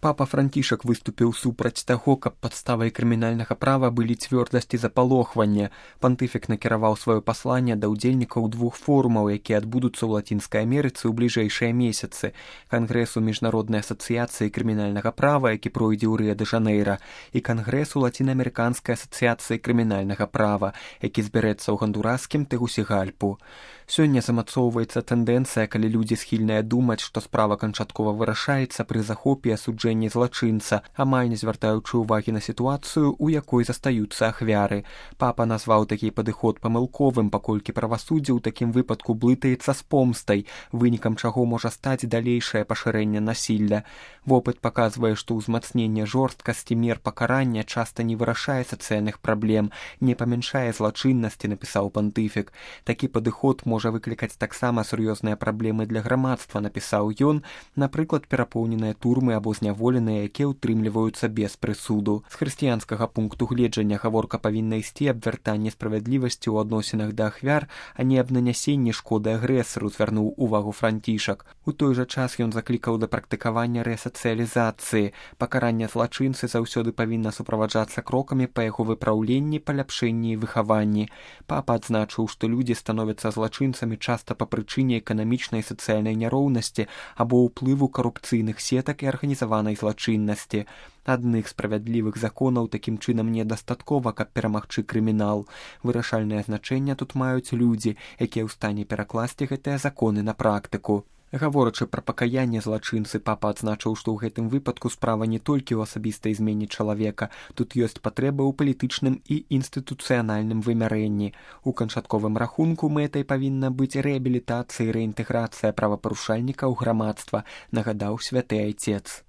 Папа Францішак выступіў супраць таго, каб падставай крымінальнага права былі цвёрдасць і запалохванне. Пантыфік накіраваў сваё пасланне да ўдзельнікаў 2 форумаў, якія адбудуцца ў Лацінскай Амерыцы ў бліжэйшыя месяцы: Кангрэсу міжнароднай асацыяцыі крымінальнага права, які пройдзе ў Рыа-дэ-Жанэйра, і Кангрэсу лаціна-амерыканскай асацыяцыі крымінальнага права, які збярэцца ў гандураскім Тэгусігальпу. Сёння замацоўваецца тэндэнцыя, калі людзі схільныя думаць, што справа канчаткова вырашаецца пры захопе і асуджэнні злачынца, амаль не звяртаючы ўвагі на сітуацыю, у якой застаюцца ахвяры. Папа назваў такі падыход памылковым, паколькі правасуддзе ў такім выпадку блытаецца з помстай, вынікам чаго можа стаць далейшае пашырэнне насілля. Вопыт паказвае, што ўзмацненне жорсткасці мер пакарання часта не вырашае сацыяльных праблем, не памяншае злачыннасці, напісаў пантыфік. Такі падыход можа выклікаць таксама сур'ёзныя праблемы для грамадства, напісаў ён, напрыклад, перапоўненыя турмы або зняволеныя, якія ўтрымліваюцца без прысуду. З хрысціянскага пункту гледжання гаворка павінна ісці аб вяртанні справядлівасці ў адносінах да ахвяр, а не аб нанясенні шкоды агрэсару, звярнуў увагу Францішак. У той жа час ён заклікаў да практыкавання рэсацыялізацыі. Пакаранне злачынцы заўсёды павінна суправаджацца крокамі па яго выпраўленні, паляпшэнні і выхаванні. Папа адзначыў, што людзі становяцца злачынцамі часта па прычыне эканамічнай і сацыяльнай няроўнасці або ўплыву карупцыйных сетак і арганізаванай злачыннасці. Адных справядлівых законаў такім чынам недастаткова, каб перамагчы крымінал. Вырашальнае значэнне тут маюць людзі, якія ў стане перакласці гэтыя законы на практыку. Гаворачы пра пакаянне злачынцы, папа адзначыў, што ў гэтым выпадку справа не толькі ў асабістай змене чалавека, тут ёсць патрэба ў палітычным і інстытуцыянальным вымярэнні. У канчатковым рахунку мэтай павінна быць рэабілітацыя і рэінтэграцыя правапарушальніка ў грамадства, нагадаў святы айцец.